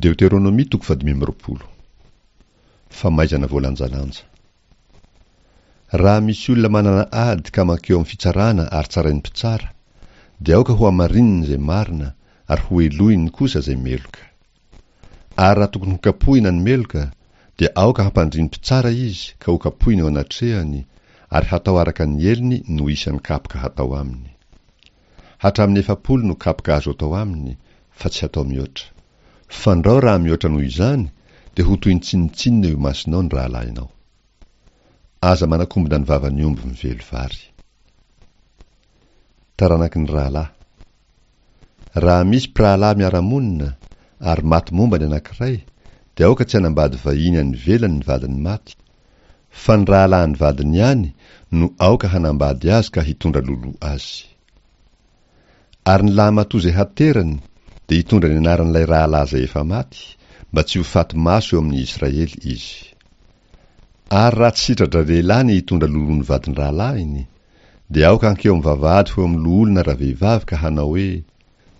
Deoteronomia toko fahadimy amby roapolo. Famaizana voalanjalanja. Raha misy olona manana ady ka mankeo amin'ny fitsarana ary tsarain'ny mpitsara, dia aoka hohamarininy izay marina ary hohelohiny kosa izay meloka. Ary raha tokony hokapohina ny meloka, dia aoka hampandrin'ny mpitsara izy ka hokapohina eo anatrehany, ary hatao araka ny helony no isan'ny kapoka hatao aminy. Hatramin'ny 40 no kapoka azo atao aminy, fa tsy hatao mihoatra. Fandrao raha mihoatra noho izany, dia ho toy ny tsinontsinona eo imasonao ny rahalahinao. Aza manakombona ny vavan'ny omby mively vary. Taranaky ny rahalahy. Raha misy mpirahalahy miara-monina, ary maty momba ny anankiray, dia aoka tsy hanambady vahiny any ivelany ny vadiny maty, fa ny rahalahin'ny vadiny ihany no aoka hanambady azy ka hitondra loloha azy. Ary ny lahimatoa izay haterany dia hitondra ny anaran'ilay rahalahy izay efa maty, mba tsy ho faty maso eo amin'ny Israely izy. Ary raha tsy sitra-dralehilahy ny hitondra loloha ny vadin-drahalahiny, dia aoka hankeo amin'ny vavahady ho eo amin'ny loholona ravehivavy ka hanao hoe,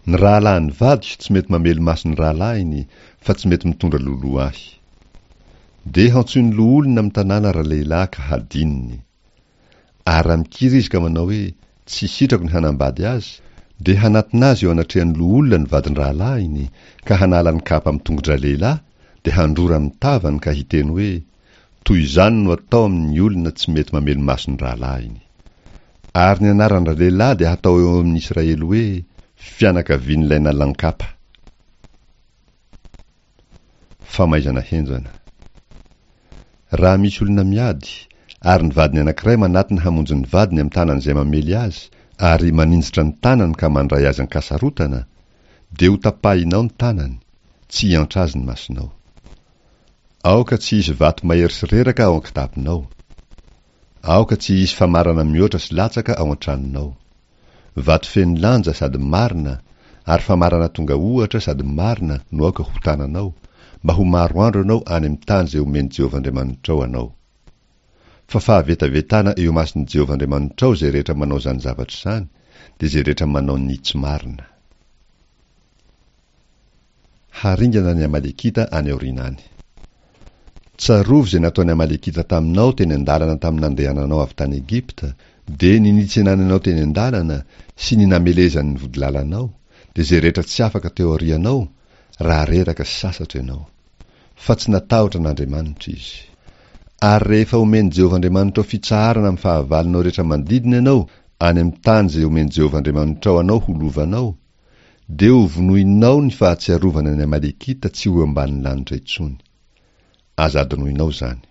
Ny rahalahin'ny vadiko tsy mety mamely maso ny rahalahiny, fa tsy mety mitondra loloha ahy. Dia hantsoin'ny loholona amin'ny tanàna ralehilahy ka hadininy. Ary raha mikiry izy ka manao hoe, Tsy sitrako ny hanambady azy, dia hanatona azy eo anatrehan'ny loholona ny vadin-drahalahiny, ka hanala ny kapa amin'ny tongo-dralehilahy, dia handrora amin'ny tavany ka hiteny hoe, Toy izany no atao amin'ny olona tsy mety mamely maso ny rahalahiny. Ary ny anaran-dralehilahy dia hatao eo amin'ny Israely hoe, Fianakavian'ilay nalan-kapa. Famaizana henjana. Raha misy olona miady, ary ny vadiny anankiray manatona hamonjy ny vadiny amin'ny tanan'izay mamely azy, ary maninjitra ny tanany ka mandray azy an-kasarotana, dia hotapahinao ny tanany, tsy hiantra azy ny masonao. Aoka tsy hisy vato mahery sy reraka ao an-kitaponao. Aoka tsy hisy famarana mihoatra sy latsaka ao an-tranonao. Vato feno lanja sady marina, ary famarana tonga ohatra sady marina no aoka ho tananao, mba ho maro andro ianao any amin'ny tany izay omen'i Jehovah Andriamanitrao anao. Fa fahavetavetana eo imason'i Jehovah Andriamanitrao izay rehetra manao izany zavatra izany, dia izay rehetra manao ny tsy marina. Haringana ny Amalekita any aoriana any. Tsarovy izay nataon'ny Amalekita taminao teny an-dalana tamin'ny nandehananao avy tany Egypta, dia ny nitsenany anao teny an-dalana sy ny namelezany ny vodilalanao, dia izay rehetra tsy afaka teo aorianao, raha reraka sy sasatra ianao. Fa tsy natahotra an'Andriamanitra izy. Ary rehefa omen'i Jehovah Andriamanitrao fitsaharana amin'ny fahavalonao rehetra manodidina ianao, any amin'ny tany izay omen'i Jehovah Andriamanitrao anao ho lovanao, Dia ho vonoinao ny fahatsiarovana ny Amalekita tsy ho eo ambanin'ny lanitra intsony. Aza adinoinao izany.